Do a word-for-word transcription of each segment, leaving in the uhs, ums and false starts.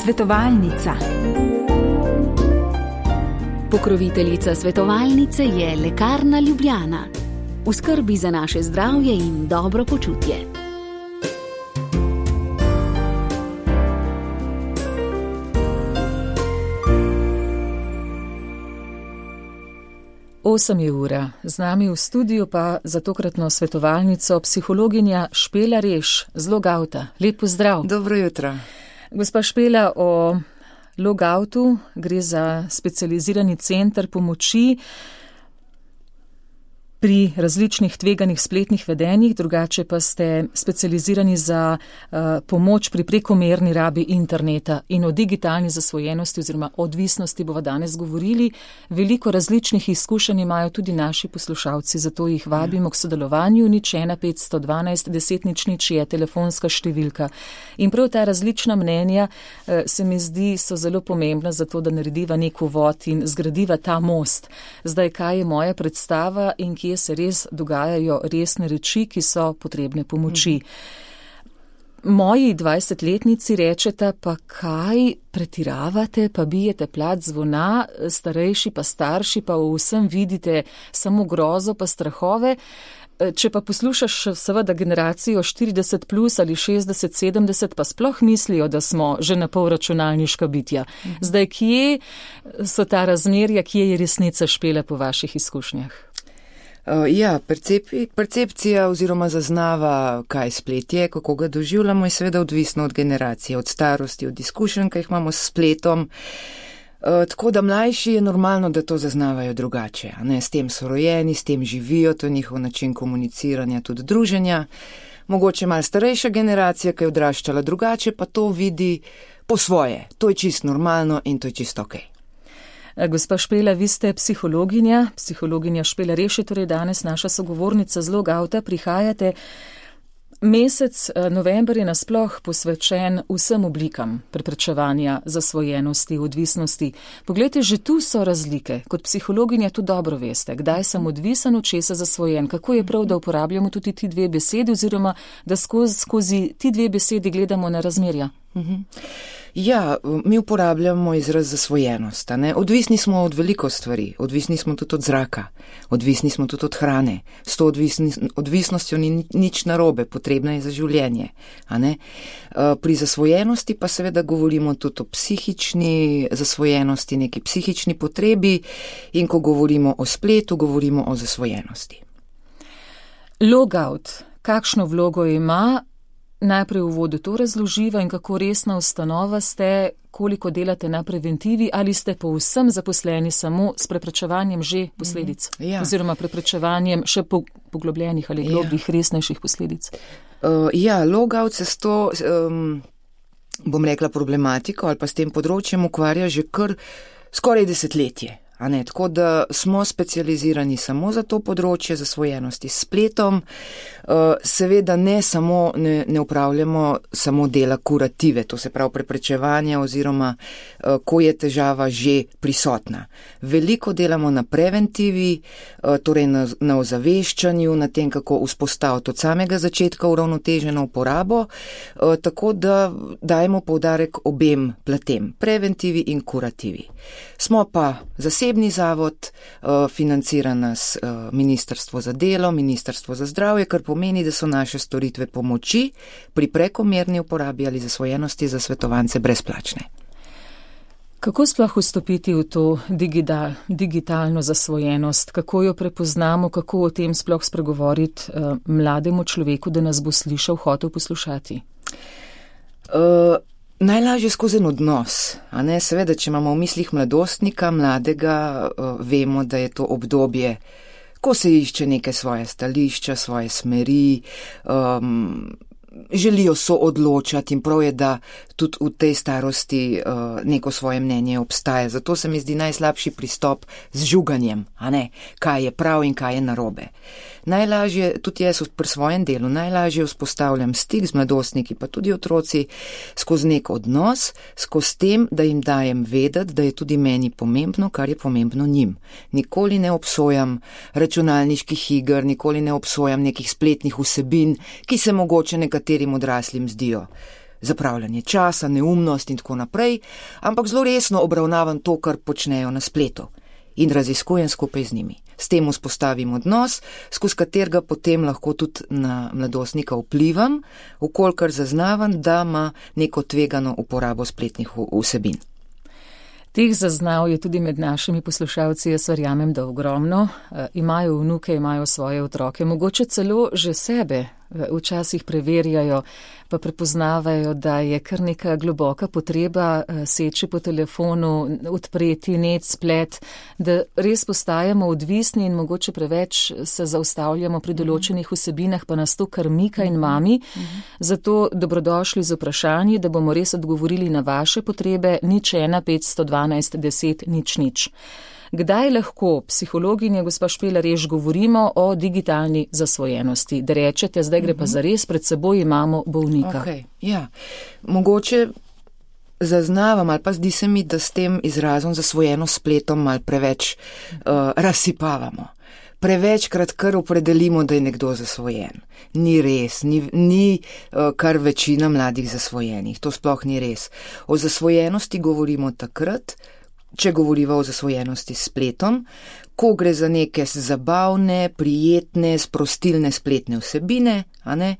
Svetovalnica. Pokroviteljica svetovalnice je Lekarna Ljubljana. V skrbi za naše zdravje in dobro počutje. Osem je ura, z nami v studiu pa za tokratno svetovalnico psihologinja Špela Reš z Logouta. Lep pozdrav. Dobro jutro. Gospa Špela, o Logoutu gre za specializirani center pomoči pri različnih tveganih spletnih vedenjih, drugače pa ste specializirani za uh, pomoč pri prekomerni rabi interneta in o digitalni zasvojenosti oziroma odvisnosti bova danes govorili. Veliko različnih izkušenj imajo tudi naši poslušalci, zato jih vabimo k sodelovanju. Nič ena petsto dvanajst deset nič nič je telefonska številka. In prav ta različna mnenja uh, se mi zdi so zelo pomembna za to, da narediva nek uvod in zgradiva ta most. Zdaj, kaj je moja predstava in kje se res dogajajo resne reči, ki so potrebne pomoči. Moji dvajsetletnici rečeta, pa kaj pretiravate, pa bijete plat zvona, starejši pa starši, pa v vsem vidite samo grozo pa strahove. Če pa poslušaš seveda generacijo štirideset plus ali šestdeset sedemdeset, pa sploh mislijo, da smo že na pol računalniška bitja. Zdaj, kje so ta razmerja, kje je resnica, Špela, po vaših izkušnjah? Uh, ja, percepi, percepcija oziroma zaznava, kaj splet je, kako ga doživljamo, je seveda odvisno od generacije, od starosti, od izkušenj, ki jih imamo s spletom. Uh, tako da mlajši je normalno, da to zaznavajo drugače. Ne? S tem so rojeni, s tem živijo, to je njihov način komuniciranja, tudi druženja. Mogoče malo starejša generacija, ki je odraščala drugače, pa to vidi po svoje. To je čisto normalno in to je čisto okej. Okay. Gospa Špela, vi ste psihologinja, psihologinja Špela Reš je torej danes naša sogovornica z Logouta, prihajate. Mesec november je nasploh posvečen vsem oblikam preprečevanja zasvojenosti, odvisnosti. Poglejte, že tu so razlike. Kot psihologinja tu dobro veste, kdaj sem odvisen, od česa zasvojen. Kako je prav, da uporabljamo tudi ti dve besedi oziroma da skozi, skozi ti dve besedi gledamo na razmerja? Mhm. Ja, mi uporabljamo izraz zasvojenost. Ne? Odvisni smo od veliko stvari, odvisni smo tudi od zraka, odvisni smo tudi od hrane. S to odvisni, odvisnostjo ni nič narobe, potrebna je za življenje. A ne? Pri zasvojenosti pa seveda govorimo tudi o psihični zasvojenosti, neki psihični potrebi in ko govorimo o spletu, govorimo o zasvojenosti. Logout, kakšno vlogo ima? Najprej v uvodu to razloživa in kako resna ustanova ste, koliko delate na preventivi, ali ste povsem zaposleni samo s preprečevanjem že posledic, mm, ja. oziroma preprečevanjem še poglobljenih ali globih, ja. resnejših posledic. Uh, ja, Logout se s to, um, bom rekla, problematiko ali pa s tem področjem ukvarja že kar skoraj desetletje. A ne, tako da smo specializirani samo za to področje zasvojenosti s spletom. Seveda ne samo, ne, ne upravljamo samo dela kurative, to se pravi preprečevanja oziroma ko je težava že prisotna. Veliko delamo na preventivi, torej na, na ozaveščanju, na tem, kako vzpostaviti od samega začetka uravnoteženo uporabo, tako da dajemo poudarek obem platem, preventivi in kurativi. Smo pa zasebni zavod, financira nas Ministrstvo za delo, Ministrstvo za zdravje, kar pomeni, da so naše storitve pomoči pri prekomerni uporabi ali zasvojenosti za svetovance brezplačne. Kako sploh vstopiti v to digital, digitalno zasvojenost? Kako jo prepoznamo, kako o tem sploh spregovoriti uh, mlademu človeku, da nas bo slišal, hotel poslušati? Uh, najlažje skozi en odnos. A ne? Seveda, če imamo v mislih mladostnika, mladega, uh, vemo, da je to obdobje, ko se išče neke svoje stališča, svoje smeri, um, želijo so odločati in prav je, da tudi v tej starosti uh, neko svoje mnenje obstaja. Zato se mi zdi najslabši pristop z žuganjem, a ne, kaj je prav in kaj je narobe. Najlažje, tudi jaz pri svojem delu, najlažje vzpostavljam stik z mladostniki, pa tudi otroci, skozi nek odnos, skozi tem, da jim dajem vedeti, da je tudi meni pomembno, kar je pomembno njim. Nikoli ne obsojam računalniških iger, nikoli ne obsojam nekih spletnih vsebin, ki se mogoče nekaterim odraslim zdijo zapravljanje časa, neumnost in tako naprej, ampak zelo resno obravnavam to, kar počnejo na spletu in raziskujem skupaj z njimi. S tem vzpostavim odnos, skozi katerega potem lahko tudi na mladostnika vplivam, vkolikor zaznavam, da ima neko tvegano uporabo spletnih vsebin. Teh zaznav je tudi med našimi poslušalci, jaz verjamem, da ogromno. E, imajo vnuke, imajo svoje otroke, mogoče celo že sebe včasih preverjajo, pa prepoznavajo, da je kar neka globoka potreba seči po telefonu, odpreti net, splet, da res postajamo odvisni in mogoče preveč se zaustavljamo pri določenih vsebinah, pa nas to kar mika in mami. Zato dobrodošli z vprašanji, da bomo res odgovorili na vaše potrebe, nič ena petsto dvanajst deset nič nič. Kdaj lahko psihologinja gospa Špeler res govorimo o digitalni zasvojenosti? Da rečete, zdaj gre pa zares, pred seboj imamo bolnika. Okay, ja. Mogoče zaznavam ali pa zdi se mi, da s tem izrazom zasvojenost spletom malo preveč uh, razsipavamo. Prevečkrat kar opredelimo, da je nekdo zasvojen. Ni res, ni, ni uh, kar večina mladih zasvojenih. To sploh ni res. O zasvojenosti govorimo takrat, če govoriva o zasvojenosti s spletom, ko gre za neke zabavne, prijetne, sprostilne spletne vsebine, a ne,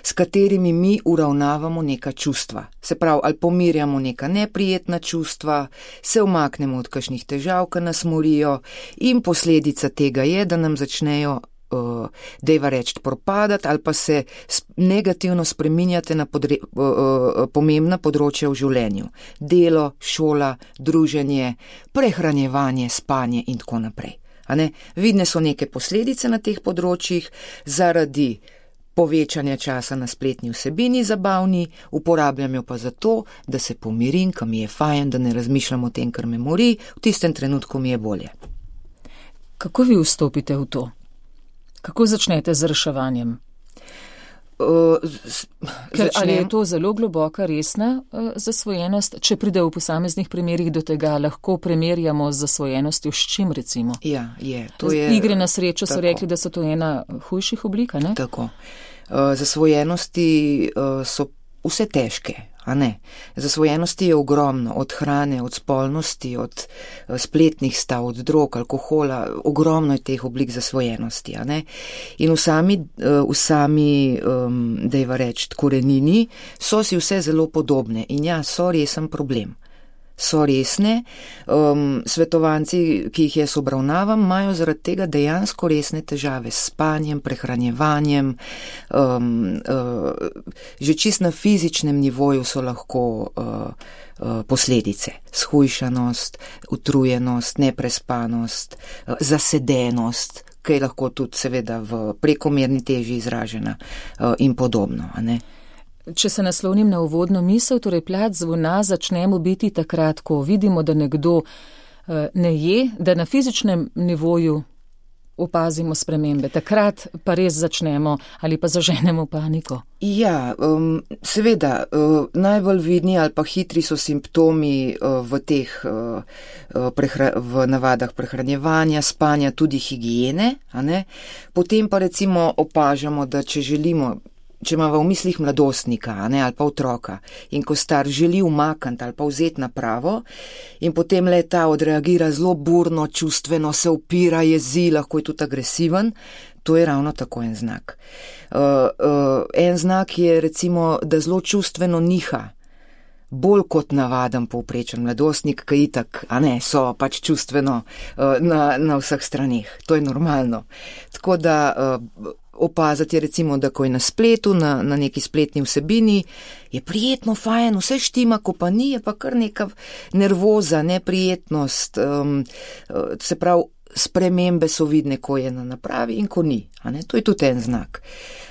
s katerimi mi uravnavamo neka čustva. Se pravi, ali pomirjamo neka neprijetna čustva, se umaknemo od kakšnih težav, ki nas morijo, in posledica tega je, da nam začnejo Uh, dejva reči propadati ali pa se negativno spreminjate na podre, uh, uh, pomembna področja v življenju. Delo, šola, druženje, prehranjevanje, spanje in tako naprej. A ne? Vidne so neke posledice na teh področjih zaradi povečanja časa na spletni vsebini zabavni, uporabljam jo pa zato, da se pomirim, kam mi je fajn, da ne razmišljam o tem, kar me mori, v tistem trenutku mi je bolje. Kako vi vstopite v to? Kako začnete z reševanjem? Uh, z, Ker, ali je to zelo globoka, resna uh, zasvojenost? Če pride v posameznih primerih do tega, lahko primerjamo z zasvojenostjo s čim, recimo? Ja, je. To je igre na srečo tako. So rekli, da so to ena hujših oblika, ne? Tako. Uh, zasvojenosti uh, so vse težke. A ne. Zasvojenosti je ogromno, od hrane, od spolnosti, od uh, spletnih stav, od drog, alkohola, ogromno je teh oblik zasvojenosti, a ne. In v sami, uh, v sami um, dejva reči, korenini so si vse zelo podobne in ja, so resen problem. So resne, um, svetovanci, ki jih jaz obravnavam, imajo zaradi tega dejansko resne težave s spanjem, prehranjevanjem, um, uh, že čist na fizičnem nivoju so lahko uh, uh, posledice. Shujšanost, utrujenost, neprespanost, uh, zasedenost, ki je lahko tudi seveda v prekomerni teži izražena uh, in podobno, a ne. Če se naslovnim na uvodno misel, torej plat zvona začnemo biti takrat, ko vidimo, da nekdo ne je, da na fizičnem nivoju opazimo spremembe. Takrat pa res začnemo ali pa zaženemo paniko. Ja, um, seveda, uh, najbolj vidni ali pa hitri so simptomi uh, v teh uh, prehra- v navadah prehranjevanja, spanja, tudi higiene, a ne? Potem pa recimo opažamo, da če želimo, če ima v mislih mladostnika, ne, ali pa otroka, in ko star želi umakniti ali pa vzeti napravo, in potem le ta odreagira zelo burno, čustveno, se upira, jezi, lahko je tudi agresiven, to je ravno tako en znak. Uh, uh, en znak je recimo, da zelo čustveno niha, bolj kot navaden povprečen mladostnik, ki itak, a ne, so pač čustveno uh, na, na vseh straneh. To je normalno. Tako da uh, opazati je recimo, da ko je na spletu, na, na neki spletni vsebini, je prijetno, fajn, vse štima, ko pa ni, je pa kar neka nervoza, neprijetnost, um, se pravi, spremembe so vidne, ko je na napravi in ko ni. A ne? To je tudi en znak.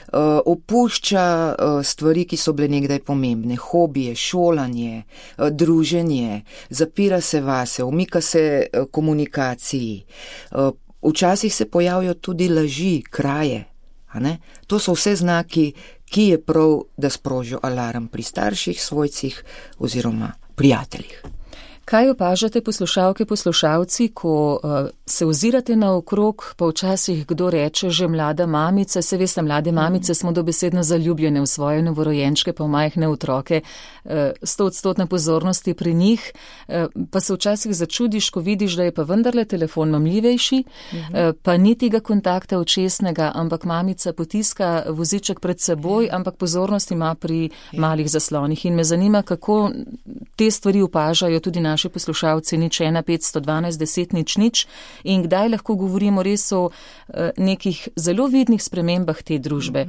Uh, opušča uh, stvari, ki so bile nekdaj pomembne, hobije, šolanje, uh, druženje, zapira se vase, umika se uh, komunikaciji. Uh, včasih se pojavijo tudi laži, kraje. A ne? To so vse znaki, ki je prav, da sprožijo alarm pri starših, svojcih oziroma prijateljih. Kaj opažate poslušalke, poslušalci, ko uh, se ozirate naokrog, pa včasih kdo reče že mlada mamica, se veste, mlade mamice smo dobesedno zaljubljene v svoje novorojenčke, pa v majhne otroke, sto uh, odstotna pozornosti pri njih, uh, pa se včasih začudiš, ko vidiš, da je pa vendarle telefon mamljivejši, uh, pa ni tega kontakta očesnega, ampak mamica potiska voziček pred seboj, ampak pozornost ima pri malih zaslonih. In me zanima, kako te stvari opažajo tudi naši poslušalci, nič ena petsto dvanajst deset nič nič, in kdaj lahko govorimo res o nekih zelo vidnih spremembah te družbe.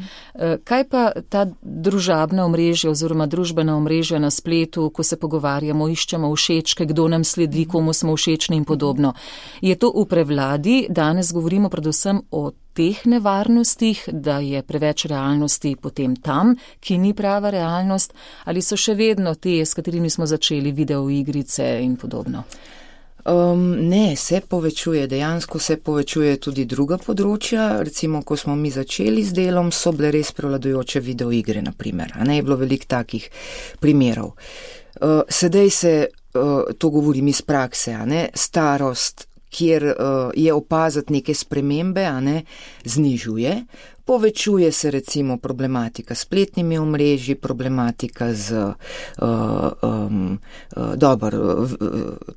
Kaj pa ta družabna omrežja oziroma družbena omrežja na spletu, ko se pogovarjamo, iščemo všečke, kdo nam sledi, komu smo všečni in podobno. Je to v prevladi? Danes govorimo predvsem o teh nevarnostih, da je preveč realnosti potem tam, ki ni prava realnost, ali so še vedno te, s katerimi smo začeli, videoigrice in podobno? Um, ne, se povečuje, dejansko se povečuje tudi druga področja. Recimo, ko smo mi začeli z delom, so bile res prevladujoče videoigre, naprimer, a ne je bilo veliko takih primerov. Uh, sedaj se, uh, to govorim iz prakse, a ne, starost, kjer uh, je opaziti neke spremembe, a ne, znižuje. Povečuje se recimo problematika s spletnimi omrežji, problematika z uh, um, uh, dober, uh,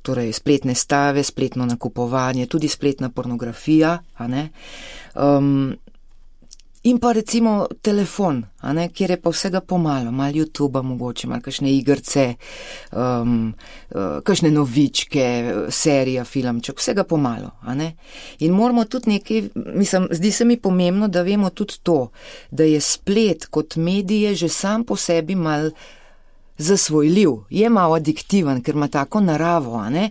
torej spletne stave, spletno nakupovanje, tudi spletna pornografija, a ne. Um, In pa recimo telefon, a ne, kjer je pa vsega pomalo, malo YouTubea mogoče, malo kakšne igrce, um, uh, kakšne novičke, serija, filmček, vsega pomalo, a ne. In moramo tudi nekaj, mislim, zdi se mi pomembno, da vemo tudi to, da je splet kot medije že sam po sebi mal zasvojljiv, je malo adiktiven, ker ima tako naravo, a ne.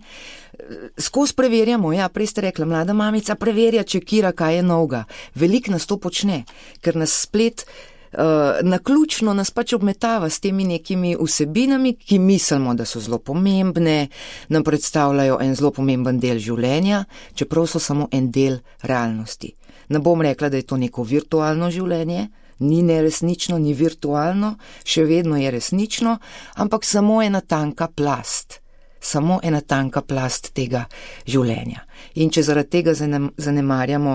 Skozi preverjamo, ja, prej ste rekla, mlada mamica preverja, čekira, kaj je novega. Veliko nas to počne, ker nas splet uh, naključno nas pač obmetava s temi nekimi vsebinami, ki mislimo, da so zelo pomembne, nam predstavljajo en zelo pomemben del življenja, čeprav so samo en del realnosti. Ne bom rekla, da je to neko virtualno življenje, ni neresnično, ni virtualno, še vedno je resnično, ampak samo ena tanka plast. Samo ena tanka plast tega življenja. In če zaradi tega zanemarjamo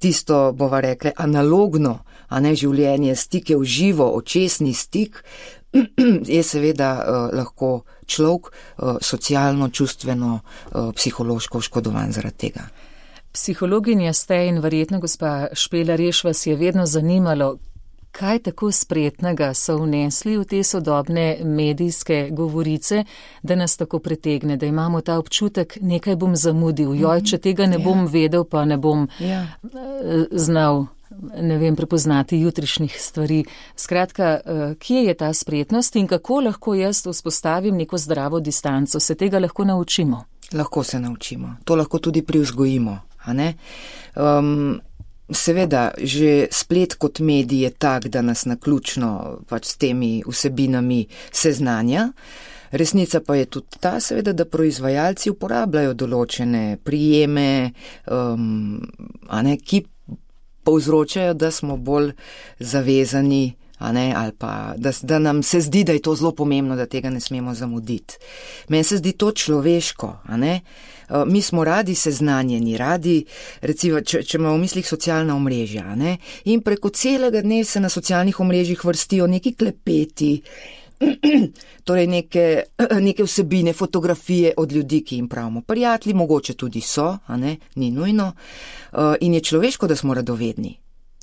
tisto, bova rekle, analogno, a ne življenje, stike v živo, očesni stik, je seveda uh, lahko človek uh, socialno, čustveno, uh, psihološko oškodovan zaradi tega. Psihologinja ste in verjetno gospa Špela Reš vas je vedno zanimalo, kaj tako spretnega so vnesli v te sodobne medijske govorice, da nas tako pritegne, da imamo ta občutek, nekaj bom zamudil, joj, če tega ne bom vedel, pa ne bom ja. znal, ne vem, prepoznati jutrišnjih stvari. Skratka, kje je ta spretnost in kako lahko jaz vzpostavim neko zdravo distanco? Se tega lahko naučimo? Lahko se naučimo. To lahko tudi privzgojimo, a ne? Um, Seveda, že splet kot medij je tak, da nas naključno pač s temi vsebinami seznanja. Resnica pa je tudi ta, seveda, da proizvajalci uporabljajo določene prijeme, um, a ne, ki povzročajo, da smo bolj zavezani, a ne, ali pa da, da nam se zdi, da je to zelo pomembno, da tega ne smemo zamuditi. Meni se zdi to človeško, a ne. Mi smo radi seznanjeni, radi, recimo, če, če imamo v mislih socialna omrežja, ne, in preko celega dne se na socialnih omrežjih vrstijo neki klepeti, torej neke, neke vsebine, fotografije od ljudi, ki jim pravimo prijatelji, mogoče tudi so, a ne, ni nujno, in je človeško, da smo radovedni.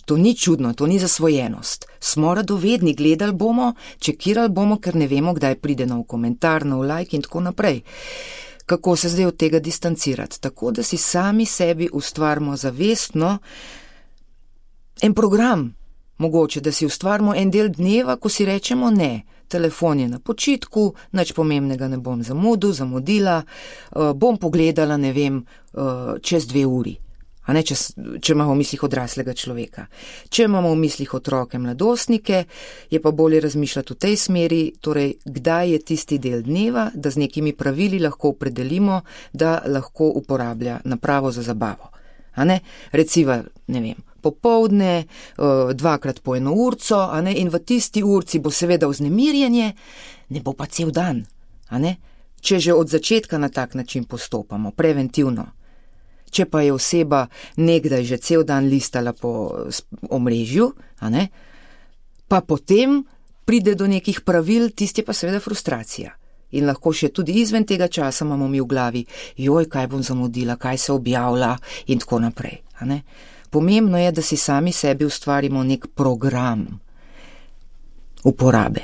To ni čudno, to ni zasvojenost. Smo radovedni, gledali bomo, čekirali bomo, ker ne vemo, kdaj pride nov komentar, nov like in tako naprej. Kako se zdaj od tega distancirati? Tako, da si sami sebi ustvarimo zavestno en program, mogoče, da si ustvarimo en del dneva, ko si rečemo ne, telefon je na počitku, nič pomembnega ne bom zamudil, zamudila, uh, bom pogledala, ne vem, uh, čez dve uri. A ne, če, če imamo v mislih odraslega človeka. Če imamo v mislih otroke, mladostnike, je pa bolje razmišljati v tej smeri, torej, kdaj je tisti del dneva, da z nekimi pravili lahko opredelimo, da lahko uporablja napravo za zabavo. A ne, recimo, ne vem, popoldne, dvakrat po eno urco, a ne, in v tisti urci bo seveda vznemirjenje, ne bo pa cel dan, a ne. če že od začetka na tak način postopamo, preventivno. Če pa je oseba nekdaj že cel dan listala po omrežju, a ne, pa potem pride do nekih pravil, tisti pa seveda frustracija. In lahko še tudi izven tega časa imamo mi v glavi, joj, kaj bom zamudila, kaj se objavlja in tako naprej. A ne? Pomembno je, da si sami sebi ustvarimo nek program uporabe.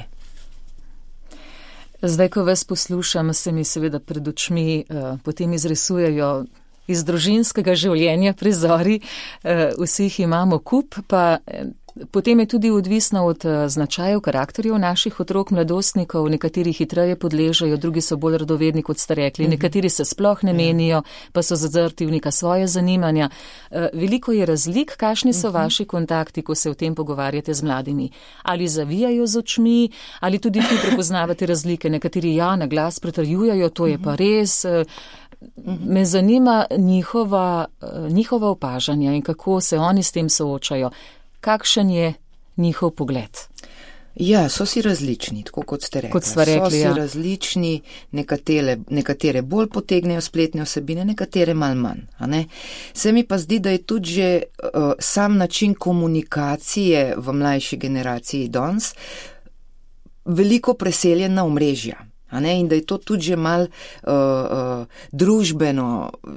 Zdaj, ko vas poslušam, se mi seveda pred očmi uh, potem izrisujejo iz družinskega življenja prizori, uh, vsi jih imamo kup, pa uh, potem je tudi odvisno od uh, značajev, karakterjev naših otrok, mladostnikov, nekateri hitreje podležajo, drugi so bolj radovedni, kot ste rekli, nekateri se sploh ne menijo, pa so zazrti v neka svoje zanimanja. Uh, veliko je razlik, kakšni so vaši kontakti, ko se o tem pogovarjate z mladimi? Ali zavijajo z očmi, ali tudi tu prepoznavate razlike? Nekateri ja, na glas pretrjujejo, to je pa res. Uh, me zanima njihova, uh, njihova opažanja in kako se oni s tem soočajo. Kakšen je njihov pogled? Ja, so si različni, tako kot ste rekli. Kot sva rekli, so si ja. različni, nekatere, nekatere bolj potegnejo spletne osebine, nekatere mal manj. A ne? Se mi pa zdi, da je tudi že uh, sam način komunikacije v mlajši generaciji danes veliko preseljen na omrežja. A ne, in da je to tudi že mal uh, uh, družbeno,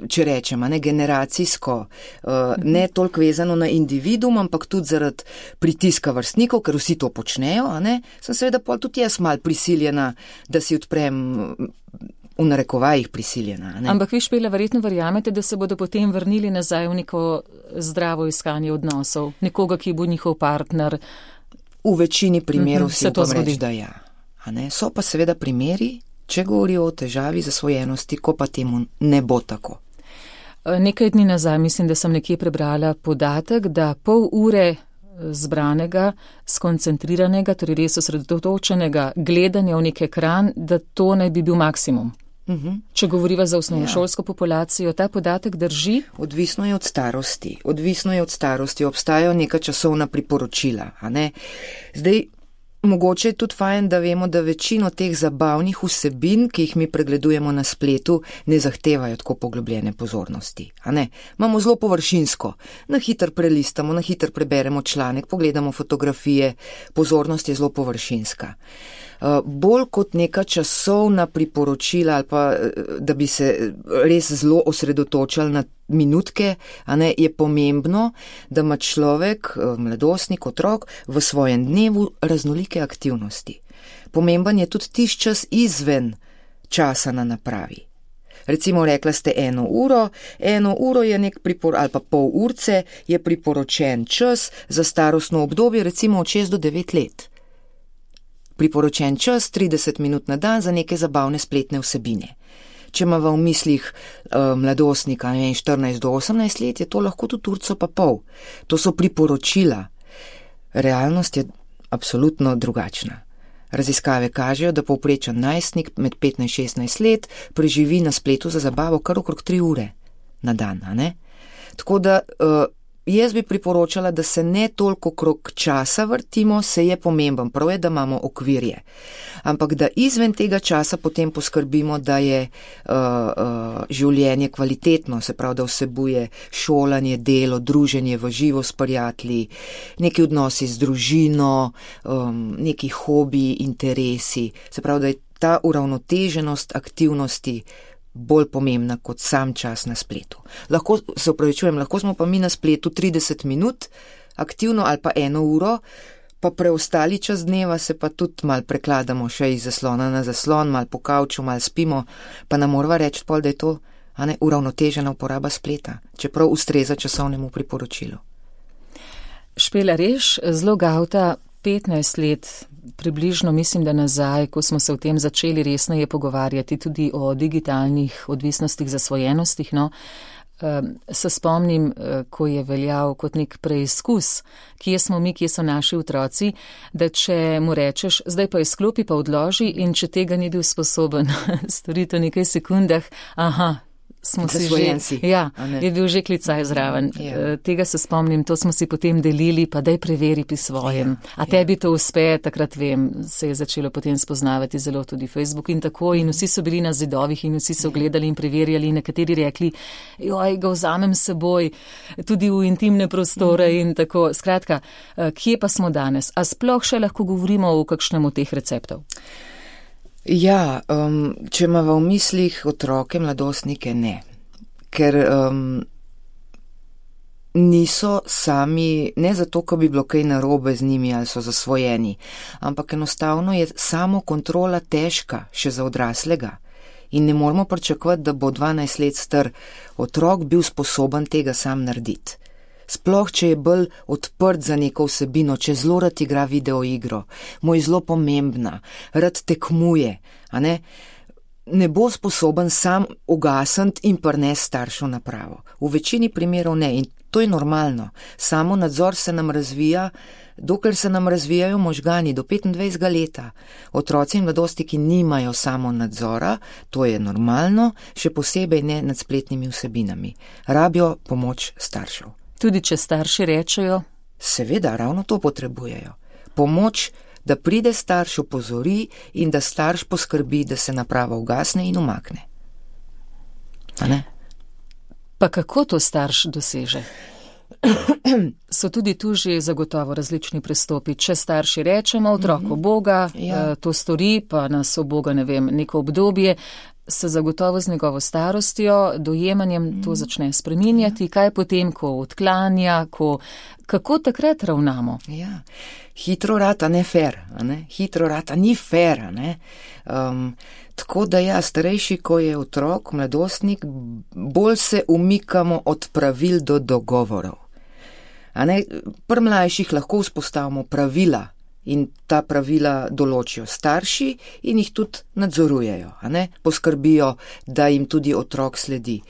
če rečem, a ne generacijsko, uh, ne toliko vezano na individuum, ampak tudi zaradi pritiska vrstnikov, ker vsi to počnejo, a ne, sem seveda pol tudi jaz mal prisiljena, da si odprem v narekovajih prisiljena. A ne. Ampak vi, Špela, verjetno verjamete, da se bodo potem vrnili nazaj v neko zdravo iskanje odnosov, nekoga, ki bo njihov partner. V večini primerov uh-huh, si upam reči, da ja. Ne? So pa seveda primeri, če govorijo o težavi zasvojenosti, ko pa temu ne bo tako. Nekaj dni nazaj mislim, da sem nekje prebrala podatek, da pol ure zbranega, skoncentriranega, torej res osredotočenega gledanja v nek ekran, da to naj bi bil maksimum. Uh-huh. Če govoriva za osnovnošolsko ja. populacijo, ta podatek drži? Odvisno je od starosti. Odvisno je od starosti. Obstajajo neka časovna priporočila. A ne? Zdaj, mogoče je tudi fajn, da vemo, da večino teh zabavnih vsebin, ki jih mi pregledujemo na spletu, ne zahtevajo tako poglobljene pozornosti. A ne? Imamo zelo površinsko. Na hitro prelistamo, na hitro preberemo članek, pogledamo fotografije, pozornost je zelo površinska. Uh, bolj kot neka časovna priporočila ali pa, da bi se res zelo osredotočali na minutke, a ne, je pomembno, da ima človek, mladostnik, otrok v svojem dnevu raznolike aktivnosti. Pomemben je tudi tisti čas izven časa na napravi. Recimo rekla ste eno uro, eno uro je nek pripor, ali pa pol urce je priporočen čas za starostno obdobje, recimo od šest do devet let. Priporočen čas trideset minut na dan za neke zabavne spletne vsebine. Če ima v mislih uh, mladostnika ne, štirinajst do osemnajst let, je to lahko tudi urco pa pol. To so priporočila. Realnost je absolutno drugačna. Raziskave kažejo, da povprečen najstnik med petnajst in šestnajst let preživi na spletu za zabavo kar okrog tri ure na dan. A ne? Tako da uh, jaz bi priporočala, da se ne toliko okrog časa vrtimo, se je pomemben, prav je, da imamo okvirje. Ampak da izven tega časa potem poskrbimo, da je uh, uh, življenje kvalitetno, se pravi, da vsebuje šolanje, delo, druženje v živo s prijatelji, neki odnosi z družino, um, neki hobiji, interesi. Se pravi, da je ta uravnoteženost aktivnosti bolj pomembna kot sam čas na spletu. Lahko, se upravičujem, lahko smo pa mi na spletu trideset minut aktivno ali pa eno uro, pa preostali čas dneva se pa tudi mal prekladamo še iz zaslona na zaslon, mal po kavču, mal spimo, pa nam morava reči pol, da je to a ne, uravnotežena uporaba spleta, čeprav ustreza časovnemu priporočilu. Špela Reš, zelo gavta, petnajst let, približno mislim, da nazaj, ko smo se o tem začeli resneje pogovarjati tudi o digitalnih odvisnostih, zasvojenostih, no, se spomnim, ko je veljal kot nek preizkus, kje smo mi, kje so naši otroci, da če mu rečeš, zdaj pa izklopi, pa odloži in če tega ni bil sposoben storiti v nekaj sekundah, aha, smo si že, ja, je bil že klicaj zraven. Ja. Tega se spomnim, to smo si potem delili, pa daj preveri pri svojem. Ja. A tebi to uspe, takrat vem, se je začelo potem spoznavati zelo tudi Facebook in tako in vsi so bili na zidovih in vsi so gledali in preverjali in nekateri rekli, joj, ga vzamem s seboj, tudi v intimne prostore in tako. Skratka, kje pa smo danes? A sploh še lahko govorimo o kakšnem od teh receptov? Ja, um, če imamo v mislih otroke, mladostnike, ne. Ker um, niso sami, ne zato, ko bi bilo kaj narobe z njimi ali so zasvojeni, ampak enostavno je samo kontrola težka še za odraslega. In ne moramo pričakovati, da bo dvanajst let star otrok bil sposoben tega sam narediti. Sploh, če je bolj odprt za neko vsebino, če zelo rad igra videoigro, mu je zelo pomembna, rad tekmuje, a ne, ne bo sposoben sam ugasniti in prnesti staršev napravo. V večini primerov ne in to je normalno. Samo nadzor se nam razvija, dokler se nam razvijajo možgani do petindvajsetega leta. Otroci in mladostniki nimajo samo nadzora, to je normalno, še posebej ne nad spletnimi vsebinami. Rabijo pomoč staršev. Tudi če starši rečejo? Seveda, ravno to potrebujejo. Pomoč, da pride starš, opozori in da starš poskrbi, da se naprava ugasne in umakne. A ne? Pa kako to starš doseže? So tudi tu že zagotovo različni pristopi. Če starši rečemo, otrok Boga, ja. to stori, pa nas Boga, ne vem, neko obdobje, se zagotovo z njegovo starostjo, dojemanjem mm. to začne spreminjati, ja. Kaj potem, ko odklanja, ko, kako takrat ravnamo? Ja, hitro rata ne fair, a ne? Hitro rata ni fair, a ne? Um, tako da ja, starejši, ko je otrok, mladostnik, bolj se umikamo od pravil do dogovorov. A ne? Pri mlajših lahko vzpostavimo pravila, in ta pravila določijo starši in jih tudi nadzorujejo, a ne? Poskrbijo, da jim tudi otrok sledi.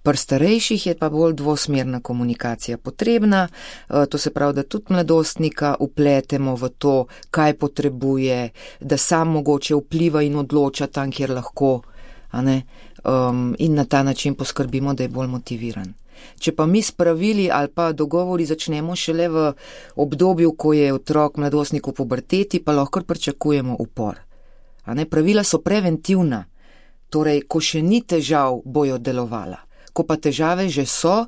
Pri starejših je pa bolj dvosmerna komunikacija potrebna, to se pravi, da tudi mladostnika upletemo v to, kaj potrebuje, da sam mogoče vpliva in odloča tam, kjer lahko, a ne? Um, in na ta način poskrbimo, da je bolj motiviran. Če pa mi s pravili ali pa dogovori začnemo šele v obdobju, ko je otrok mladostnik v puberteti, pa lahko pričakujemo upor. A ne, pravila so preventivna, torej, ko še ni težav, bojo delovala. Ko pa težave že so,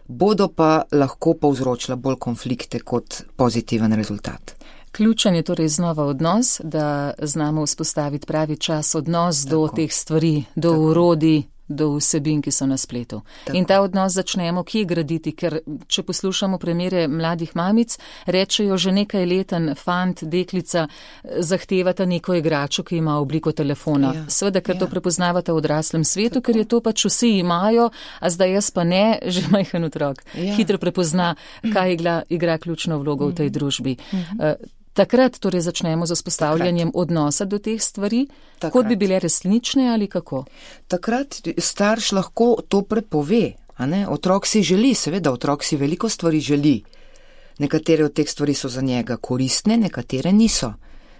bodo pa lahko povzročila bolj konflikte kot pozitiven rezultat. Ključen je torej znova odnos, da znamo vzpostaviti pravi čas, odnos Tako. do teh stvari, do Tako. urodij, do vsebin, ki so na spletu. Tako. In ta odnos začnemo kje graditi, ker če poslušamo primere mladih mamic, rečejo že nekaj leten fant, deklica, zahtevata neko igračo, ki ima obliko telefona. Ja. Seveda, ker ja. to prepoznavata v odraslem svetu, Tako. ker je to pač vsi imajo, a zdaj jaz pa ne, že majhen otrok. Ja. Hitro prepozna, kaj igra, igra ključno vlogo v tej družbi. Uh, Takrat torej začnemo z vzpostavljanjem Takrat. odnosa do teh stvari, Takrat. kot bi bile resnične ali kako? Takrat starš lahko to prepove, a ne? Otrok si želi, seveda, otrok si veliko stvari želi. Nekatere od teh stvari so za njega koristne, nekatere niso.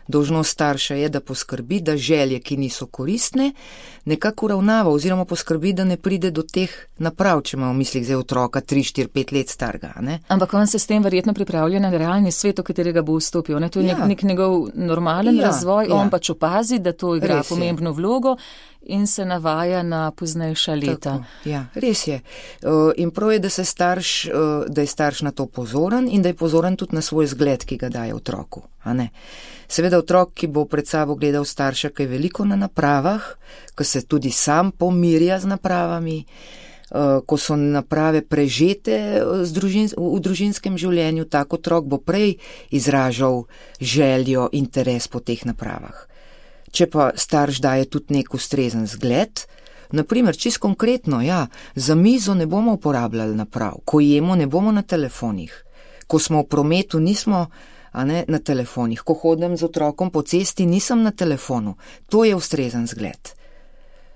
Dolžnost starša je, da poskrbi, da želje, ki niso koristne, nekako uravnava oziroma poskrbi, da ne pride do teh naprav, če ima v mislih zdaj otroka tri, štiri, pet let starega. Ne? Ampak on se s tem verjetno pripravlja na realni svet, v katerega bo vstopil. Ne? To je ja. nek, nek njegov normalen ja, razvoj, ja. on pač opazi, da to igra res pomembno je. vlogo in se navaja na poznejša leta. Tako, ja, res je. In prav je, da, se starš, da je starš na to pozoren in da je pozoren tudi na svoj zgled, ki ga daje otroku. A ne? Seveda otrok, ki bo pred sabo gledal starša, ki je veliko na napravah, ko se tudi sam pomirja z napravami, ko so naprave prežete v družinskem življenju, tak otrok bo prej izražal željo, interes po teh napravah. Če pa starš daje tudi nek ustrezen zgled, naprimer, čisto konkretno, ja, za mizo ne bomo uporabljali naprav, ko jemo ne bomo na telefonih, ko smo v prometu nismo a ne, na telefonih, ko hodim z otrokom po cesti nisem na telefonu, to je ustrezen zgled.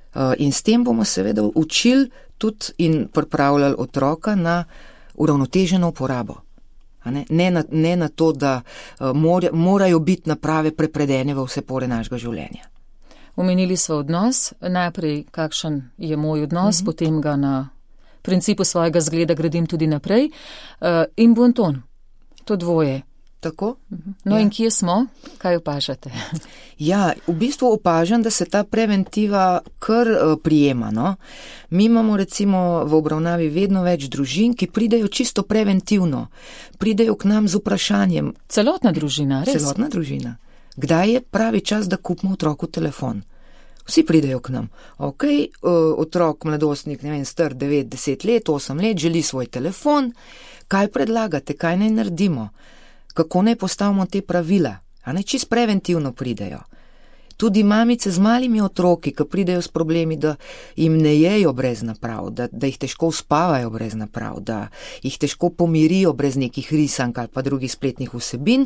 Uh, in s tem bomo seveda učili tudi in pripravljali otroka na uravnoteženo uporabo. A ne? Ne, na, ne na to, da uh, mora, morajo biti naprave prepredene v vse pore našega življenja. Omenili smo odnos, najprej kakšen je moj odnos, mm-hmm. potem ga na principu svojega zgleda gradim tudi naprej. Uh, in bonton, to dvoje. Tako? No ja. In kje smo? Kaj opažate? Ja, v bistvu opažam, da se ta preventiva kar uh, prijema. No? Mi imamo recimo v obravnavi vedno več družin, ki pridejo čisto preventivno. Pridejo k nam z vprašanjem. Celotna družina, res? Celotna družina. Kdaj je pravi čas, da kupimo otroku telefon? Vsi pridejo k nam. Ok, uh, otrok, mladostnik, ne vem, star devet, deset let, osem let, želi svoj telefon. Kaj predlagate, kaj naj naredimo? Kako naj postavimo te pravila, a ne čist preventivno pridejo. Tudi mamice z malimi otroki, ki pridejo s problemi, da jim ne jejo brez naprav, da, da jih težko uspavajo brez naprav, da jih težko pomirijo brez nekih risank ali pa drugih spletnih vsebin,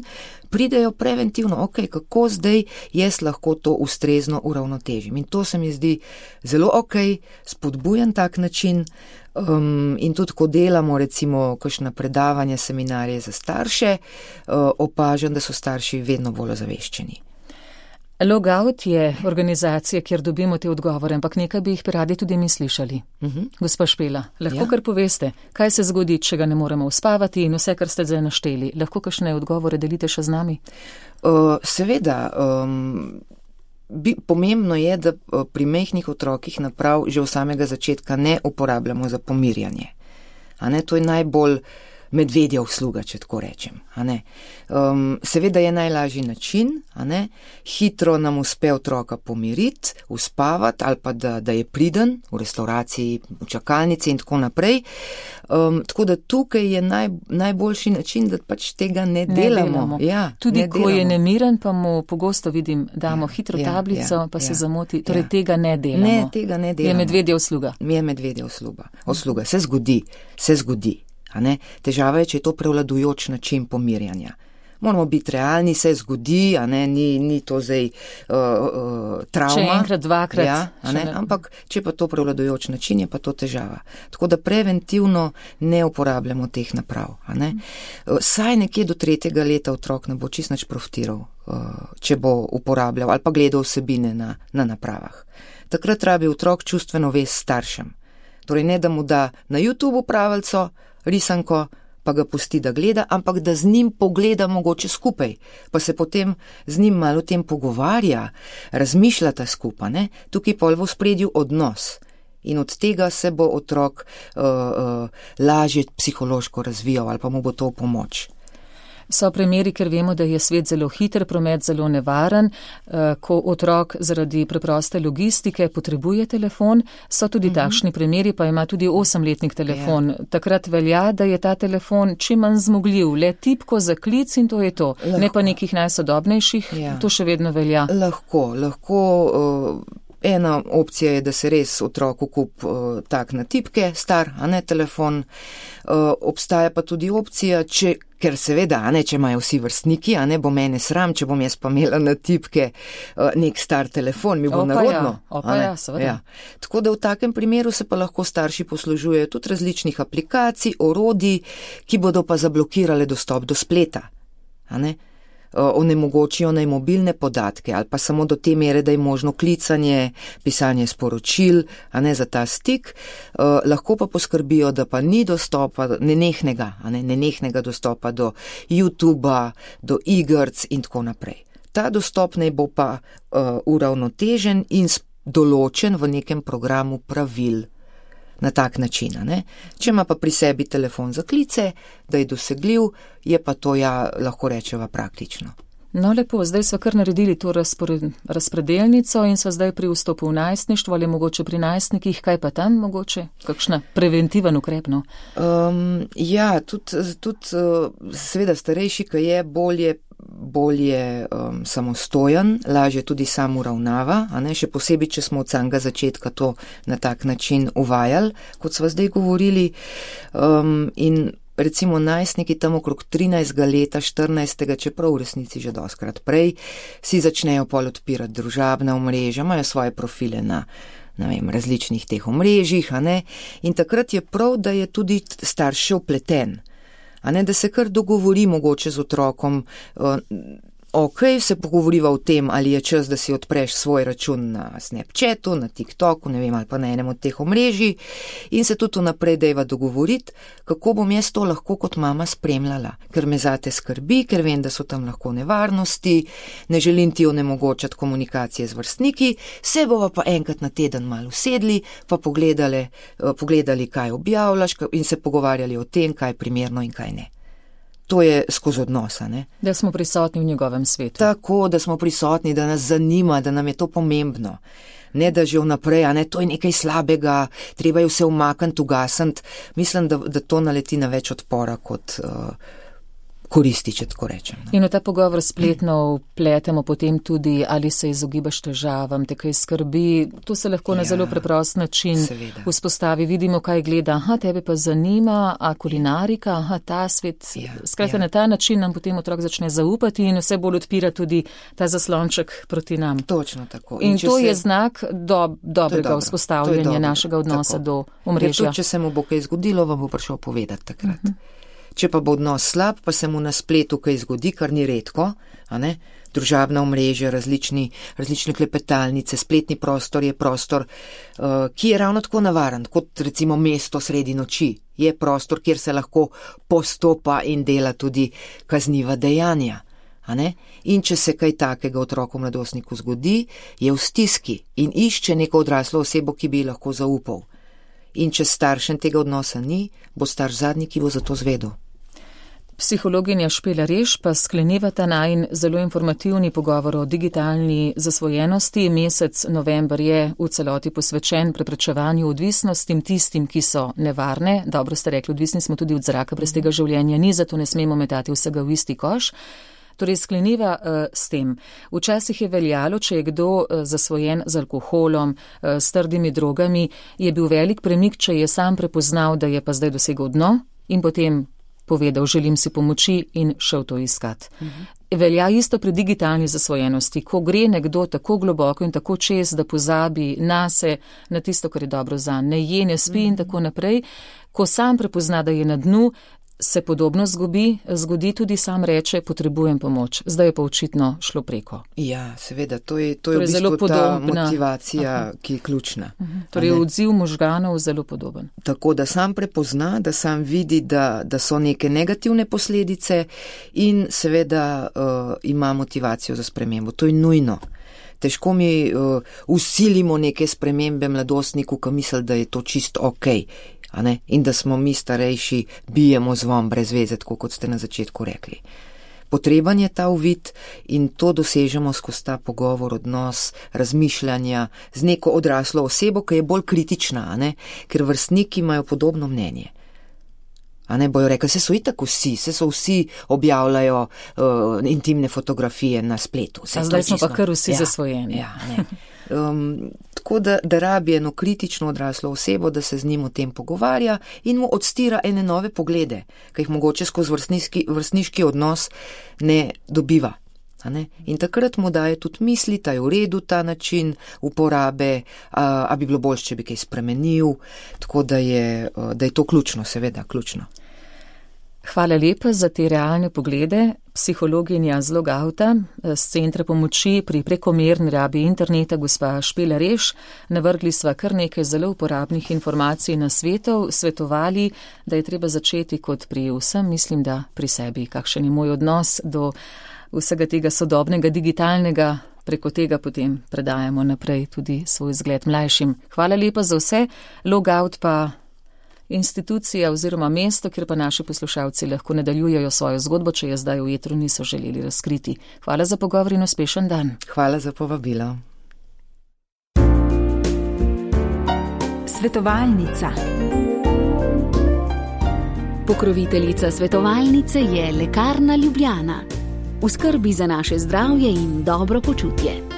pridejo preventivno, ok, kako zdaj jaz lahko to ustrezno uravnotežim. In to se mi zdi zelo ok, spodbujan tak način. Um, in tudi, ko delamo recimo kakšna predavanja, seminarje za starše, uh, opažam, da so starši vedno bolj ozaveščeni. Logout je organizacija, kjer dobimo te odgovore, ampak nekaj bi jih radi tudi mi slišali. Uh-huh. Gospa Špela, lahko ja. Kar poveste, kaj se zgodi, če ga ne moremo uspavati in vse, kar ste zdaj našteli. Lahko kakšne odgovore delite še z nami? Uh, seveda, um, bi, pomembno je, da pri majhnih otrokih naprav že od samega začetka ne uporabljamo za pomirjanje. A ne, to je najbolj medvedja usluga, če tako rečem. A ne. Um, seveda je najlažji način, a ne, hitro nam uspe otroka pomiriti, uspavati ali pa da, da je priden v restauraciji, v čakalnici in tako naprej. Um, tako da tukaj je naj, najboljši način, da pač tega ne, ne delamo. delamo. Ja, Tudi ne ko delamo. Je nemiren, pa mu pogosto vidim, damo ja, hitro ja, tablico, ja, pa se ja, zamoti. Torej ja. tega ne delamo. Ne, tega ne delamo. Je medvedja usluga. Je medvedja usluga. Usluga. Se zgodi, se zgodi. A ne? Težava je, če je to prevladujoč način pomirjanja. Moramo biti realni, se zgodi, a ne, ni, ni to zdaj uh, uh, travma. Če enkrat, dvakrat. Ja, a ne? Ampak, če pa to prevladujoč način, je pa to težava. Tako da preventivno ne uporabljamo teh naprav. A ne? Uh, saj nekje do tretjega leta otrok ne bo čist nič profitiral, uh, če bo uporabljal ali pa gledal vsebine na, na napravah. Takrat rabi otrok čustveno vez staršem. Torej ne, da mu da na YouTube pravico, risanko, pa ga pusti, da gleda, ampak da z njim pogleda mogoče skupaj, pa se potem z njim malo o tem pogovarja, razmišljata skupaj, ne? Tukaj pol v ospredju odnos. In od tega se bo otrok uh, uh, lažje psihološko razvijal ali pa mu bo to v pomoč. So primeri, ker vemo, da je svet zelo hiter, promet zelo nevaren, ko otrok zaradi preproste logistike potrebuje telefon, so tudi mm-hmm. takšni primeri, pa ima tudi osemletnik telefon. Yeah. Takrat velja, da je ta telefon čim manj zmogljiv, le tipko za klic in to je to. Lahko. Ne pa nekih najsodobnejših, yeah. To še vedno velja. Lahko, lahko. Uh... Ena opcija je, da se res otroku kup uh, tak na tipke, star, a ne telefon. Uh, obstaja pa tudi opcija, če, ker seveda, a ne, če imajo vsi vrstniki, a ne bo mene sram, če bom jaz pa imela na tipke uh, nek star telefon, mi bo opa narodno. Ja, opa ja, seveda. Ja. Tako da v takem primeru se pa lahko starši poslužujejo tudi različnih aplikacij, orodij, ki bodo pa zablokirale dostop do spleta, a ne. Onemogočijo naj mobilne podatke ali pa samo do te mere, da je možno klicanje, pisanje sporočil, a ne za ta stik, uh, lahko pa poskrbijo, da pa ni dostopa, nenehnega, a ne, nenehnega dostopa do YouTubea, do igrc in tako naprej. Ta dostop naj bo pa uh, uravnotežen in določen v nekem programu pravil. Na tak način, ne? Če ima pa pri sebi telefon za klice, da je dosegljiv, je pa to, ja, lahko rečeva praktično. No, lepo, zdaj sva kar naredili to razpored, razpredelnico in sva zdaj pri vstopu v najstništvo ali mogoče pri najstnikih, kaj pa tam mogoče? Kakšna preventiven ukrep, no? Um, ja, tudi, tudi seveda starejši, ki je bolje, bolje um, samostojen, lažje tudi sam uravnava, a ne, še posebej, če smo od samega začetka to na tak način uvajali, kot sva zdaj govorili, um, in recimo najstniki tam okrog trinajstega leta, štirinajstega, čeprav v resnici že doskrat prej, si začnejo pol odpirati družabna omrežja, imajo svoje profile na, ne vem, različnih teh omrežjih, a ne, in takrat je prav, da je tudi starš vpleten. A ne, da se kar dogovori mogoče z otrokom, ok, se pogovoriva o tem, ali je čas, da si odpreš svoj račun na Snapchatu, na TikToku, ne vem, ali pa na enem od teh omrežij in se tudi naprej dejva dogovoriti, kako bom jaz to lahko kot mama spremljala, ker me zate skrbi, ker vem, da so tam lahko nevarnosti, ne želim ti onemogočati komunikacije z vrstniki, se bova pa enkrat na teden malo usedli, pa pogledali, pogledali, kaj objavljaš in se pogovarjali o tem, kaj je primerno in kaj ne. To je skozi odnosa, ne? Da smo prisotni v njegovem svetu. Tako, da smo prisotni, da nas zanima, da nam je to pomembno. Ne, da že vnaprej, a ne, to je nekaj slabega, treba je vse umakniti, ugasniti. Mislim, da, da to naleti na več odpora kot uh, koristi, če tako rečem. Ne? In v ta pogovor spletno vpletemo potem tudi, ali se izogibaš težavam, te kaj skrbi. To se lahko na ja, zelo preprost način seveda vzpostavi. Vidimo, kaj gleda. Aha, tebe pa zanima, a kulinarika, aha, ta svet. Ja, Skratka, ja. Na ta način nam potem otrok začne zaupati in vse bolj odpira tudi ta zaslonček proti nam. Točno tako. In, in to se... je znak do, dobrega dobro. vzpostavljanja dobro. našega odnosa tako. do omrežja. Tudi, če se mu bo kaj zgodilo, vam bo prišel povedati takrat. Uh-huh. Če pa bo odnos slab, pa se mu na spletu kaj zgodi, kar ni redko, a ne, družabna omrežja, različni, različne klepetalnice, spletni prostor je prostor, uh, ki je ravno tako navaren, kot recimo mesto sredi noči. Je prostor, kjer se lahko postopa in dela tudi kazniva dejanja. A ne? In če se kaj takega otroku mladostniku zgodi, je v stiski in išče neko odraslo osebo, ki bi lahko zaupal. In če staršem tega odnosa ni, bo starš zadnji, ki bo za to zvedel. Psihologinja Špela Reš pa skleneva ta najin zelo informativni pogovor o digitalni zasvojenosti. Mesec november je v celoti posvečen preprečevanju odvisnostim, tistim, ki so nevarne. Dobro ste rekli, odvisni smo tudi od zraka, brez tega življenja ni, zato ne smemo metati vsega v isti koš. Torej skleniva uh, s tem. Včasih je veljalo, če je kdo uh, zasvojen z alkoholom, uh, s trdimi drogami, je bil velik premik, če je sam prepoznal, da je pa zdaj dosegel dno in potem povedal, želim si pomoči in šel to iskat. Mhm. Velja isto pri digitalni zasvojenosti, ko gre nekdo tako globoko in tako čez, da pozabi nase, na tisto, kar je dobro za ne je, ne spi in tako naprej, ko sam prepozna, da je na dnu, se podobno zgodi, zgodi tudi sam reče, potrebujem pomoč. Zdaj je pa očitno šlo preko. Ja, seveda, to je, to je torej v bistvu podobna ta motivacija, Aha. ki je ključna. Uh-huh. Torej je odziv možganov zelo podoben. Tako, da sam prepozna, da sam vidi, da, da so neke negativne posledice in seveda uh, ima motivacijo za spremembo. To je nujno. Težko mi uh, usilimo neke spremembe mladostniku, ki misli, da je to čisto okej. A ne? In da smo mi starejši, bijemo zvon brez veze, tako kot ste na začetku rekli. Potreben je ta uvid in to dosežemo skozi ta pogovor, odnos, razmišljanja z neko odraslo osebo, ki je bolj kritična, a ne? Ker vrstniki imajo podobno mnenje. A ne bojo rekli, se so itak vsi, se so vsi objavljajo uh, intimne fotografije na spletu. A zdaj smo pa kar vsi ja, zasvojeni. Ja, ne. Um, tako da, da rabi eno kritično odraslo osebo, da se z njim o tem pogovarja in mu odstira ene nove poglede, ki jih mogoče skozi vrstniški, vrstniški odnos ne dobiva. A ne? In takrat mu daje tudi misli, da je v redu ta način uporabe, a, a bi bilo bolj, če bi kaj spremenil, tako da je, da je to ključno, seveda, ključno. Hvala lepa za te realne poglede. Psihologinja z Logauta, z Centra pomoči pri prekomerni rabi interneta, gospa Špela Reš. Navrgli sva kar nekaj zelo uporabnih informacij na svetov, svetovali, da je treba začeti kot pri vsem, mislim, da pri sebi. Kakšen je moj odnos do vsega tega sodobnega, digitalnega, preko tega potem predajamo naprej tudi svoj zgled mlajšim. Hvala lepa za vse. Logout pa institucija oziroma mesto, kjer pa naši poslušalci lahko nadaljujejo svojo zgodbo, če je zdaj v etru niso želeli razkriti. Hvala za pogovor in uspešen dan. Hvala za povabilo. Svetovalnica. Pokroviteljica svetovalnice je Lekarna Ljubljana. V skrbi za naše zdravje in dobro počutje.